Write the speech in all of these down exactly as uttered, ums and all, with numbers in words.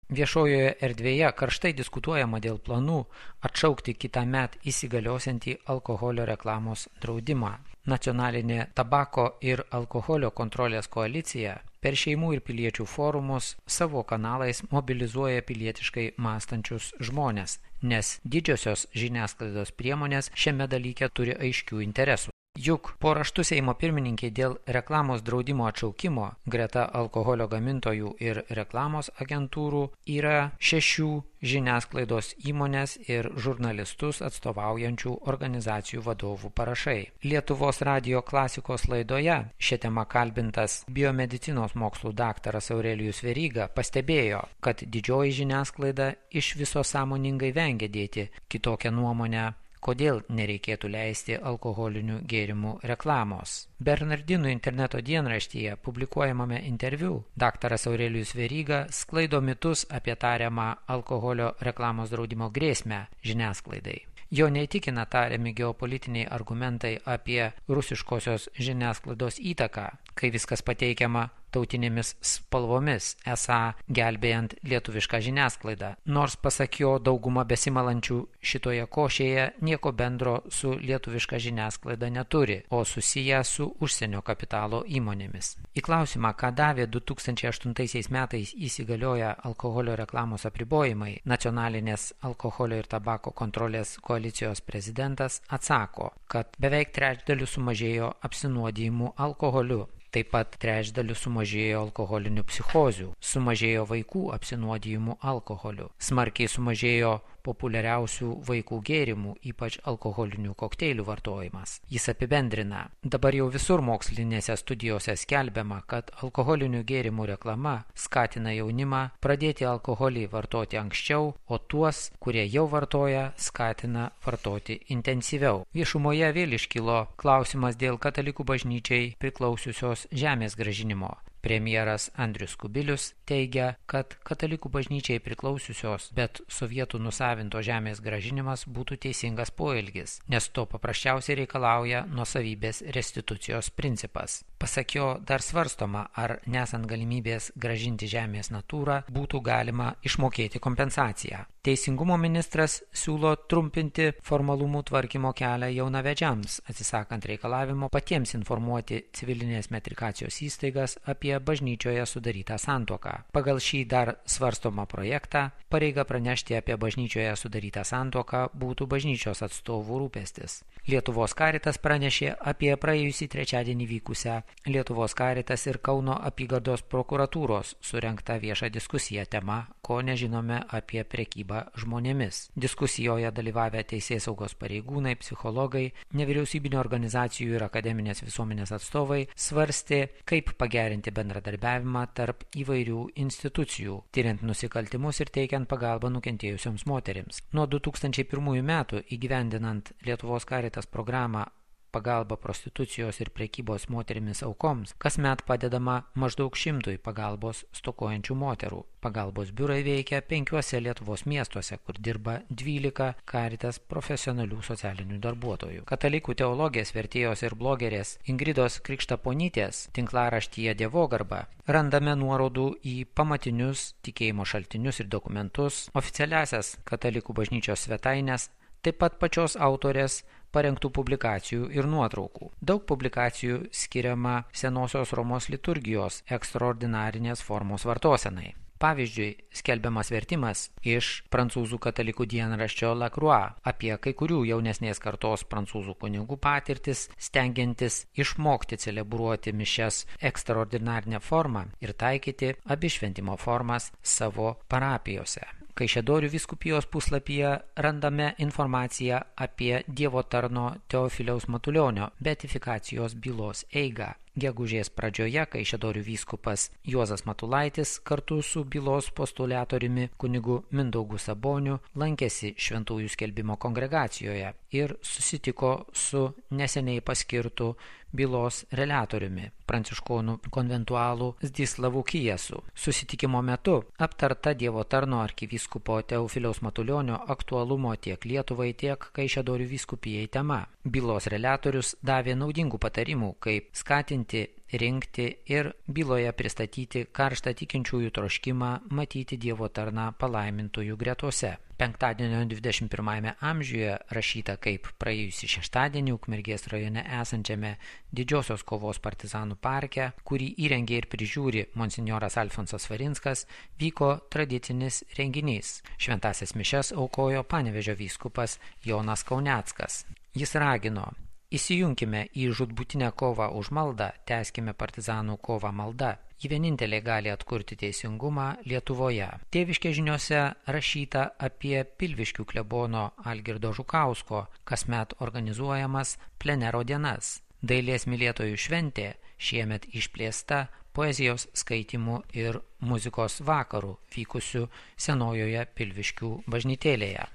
Viešojoje erdvėje karštai diskutuojama dėl planų atšaukti kitąmet įsigaliosiantį alkoholio reklamos draudimą. Nacionalinė tabako ir alkoholio kontrolės koalicija per šeimų ir piliečių forumus savo kanalais mobilizuoja pilietiškai mąstančius žmones, nes didžiosios žiniasklaidos priemonės šiame dalyke turi aiškių interesų. Juk po raštu Seimo pirmininkiai dėl reklamos draudimo atšaukimo greta alkoholio gamintojų ir reklamos agentūrų yra šešių žiniasklaidos įmonės ir žurnalistus atstovaujančių organizacijų vadovų parašai. Lietuvos radijo klasikos laidoje šią temą kalbintas biomedicinos mokslų daktaras Aurelijus Veryga pastebėjo, kad didžioji žiniasklaida iš viso sąmoningai vengia dėti kitokią nuomonę, kodėl nereikėtų leisti alkoholinių gėrimų reklamos. Bernardinų interneto dienraštyje publikuojamame interviu daktaras Aurelijus Veryga sklaido mitus apie tariamą alkoholio reklamos draudimo grėsmę žiniasklaidai. Jo neįtikina tariami geopolitiniai argumentai apie rusiškosios žiniasklaidos įtaką, kai viskas pateikiama tautinėmis spalvomis, esą gelbėjant lietuvišką žiniasklaidą. Nors pasak jo dauguma besimalančių šitoje košėje nieko bendro su lietuviška žiniasklaida neturi, o susiję su užsienio kapitalo įmonėmis. Į klausimą, ką davė du tūkstančiai aštuntaisiais metais įsigalioję alkoholio reklamos apribojimai, nacionalinės alkoholio ir tabako kontrolės koalicijos prezidentas atsako, kad beveik trečdaliu sumažėjo apsinuodijimų alkoholiu. Taip pat trečdaliu sumažėjo alkoholinių psichozių, sumažėjo vaikų apsinuodijimų alkoholiu, smarkiai sumažėjo populiariausių vaikų gėrimų, ypač alkoholinių kokteilių vartojimas. Jis apibendrina, dabar jau visur mokslinėse studijose skelbiama, kad alkoholinių gėrimų reklama skatina jaunimą pradėti alkoholį vartoti anksčiau, o tuos, kurie jau vartoja, skatina vartoti intensyviau. Viešumoje vėl iškilo klausimas dėl katalikų bažnyčiai priklausiusios žemės grąžinimo. Premjeras Andrius Kubilius teigia, kad katalikų bažnyčiai priklausiusios, bet sovietų nusavinto žemės grąžinimas būtų teisingas poelgis, nes to paprasčiausiai reikalauja nuosavybės restitucijos principas. Pasak jo, dar svarstoma, ar nesant galimybės grąžinti žemės natūrą būtų galima išmokėti kompensaciją. Teisingumo ministras siūlo trumpinti formalumų tvarkymo kelią jaunavedžiams, atsisakant reikalavimo patiems informuoti civilinės metrikacijos įstaigas apie bažnyčioje sudarytą santuoką. Pagal šį dar svarstomą projektą, pareiga pranešti apie bažnyčioje sudarytą santuoką būtų bažnyčios atstovų rūpestis. Lietuvos Karitas pranešė apie praėjusį trečiadienį vykusią Lietuvos Karitas ir Kauno apygardos prokuratūros surengtą viešą diskusiją tema, ko nežinome apie prekybą žmonėmis. Diskusijoje dalyvavę teisėsaugos pareigūnai, psichologai, nevyriausybinio organizacijų ir akademinės visuomenės atstovai svarstė, kaip pagerinti bendradarbiavimą tarp įvairių institucijų, tyriant nusikaltimus ir teikiant pagalbą nukentėjusioms moterims. Nuo du tūkstančiai pirmųjų metų įgyvendinant Lietuvos Karitas programą pagalba prostitucijos ir prekybos moterimis aukoms, kasmet padedama maždaug šimtui pagalbos stokojančių moterų. Pagalbos biurai veikia penkiuose Lietuvos miestuose, kur dirba dvylika Karitas profesionalių socialinių darbuotojų. Katalikų teologės, vertėjos ir blogerės Ingridos Krikštaponytės tinklaraštyje Dievogarba randame nuorodų į pamatinius tikėjimo šaltinius ir dokumentus, oficialiasias katalikų bažnyčios svetainės, taip pat pačios autorės parengtų publikacijų ir nuotraukų. Daug publikacijų skiriama senosios Romos liturgijos ekstraordinarinės formos vartosenai. Pavyzdžiui, skelbiamas vertimas iš prancūzų katalikų dienraščio La Croix apie kai kurių jaunesnės kartos prancūzų kunigų patirtis, stengiantis išmokti celebruoti mišias ekstraordinarinę formą ir taikyti abi šventimo formas savo parapijose. Kaišiadorių vyskupijos puslapyje randame informaciją apie Dievo tarno Teofiliaus Matulionio beatifikacijos bylos eigą. Gegužės pradžioje Kaišiadorių vyskupas Juozas Matulaitis kartu su bylos postuliatoriumi kunigu Mindaugu Saboniu lankėsi šventųjų skelbimo kongregacijoje ir susitiko su neseniai paskirtu bylos reliatoriumi, pranciškonų konventualų Zdislavu Kijesu. Susitikimo metu aptarta Dievo tarno arkivyskupo Teofiliaus Matulionio aktualumo tiek Lietuvai, tiek Kaišiadorių vyskupijai tema. Bylos reliatorius davė naudingų patarimų, kaip skatinti rinkti ir byloje pristatyti karštą tikinčiųjų troškimą matyti Dievo tarną palaimintųjų gretose. Penktadienio dvidešimt pirmajame amžiuje rašyta kaip praėjusį šeštadienį Ukmergės rajone esančiame Didžiosios kovos partizanų parke, kurį įrengė ir prižiūri monsinjoras Alfonsas Svarinskas, vyko tradicinis renginys. Šventąsias mišias aukojo Panevėžio vyskupas Jonas Kauneckas. Jis ragino: įsijunkime į žūtbūtinę kovą už maldą, tęskime partizanų kovą malda. Ji vienintelė gali atkurti teisingumą Lietuvoje. Tėviškės žiniose rašyta apie Pilviškių klebono Algirdo Žukausko kasmet organizuojamas plenero dienas. Dailės mylėtojų šventė šiemet išplėsta poezijos skaitymų ir muzikos vakarų vykusių senojoje Pilviškių bažnytėlėje.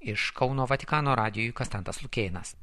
Iš Kauno Vatikano radijui Konstantas Lukėnas.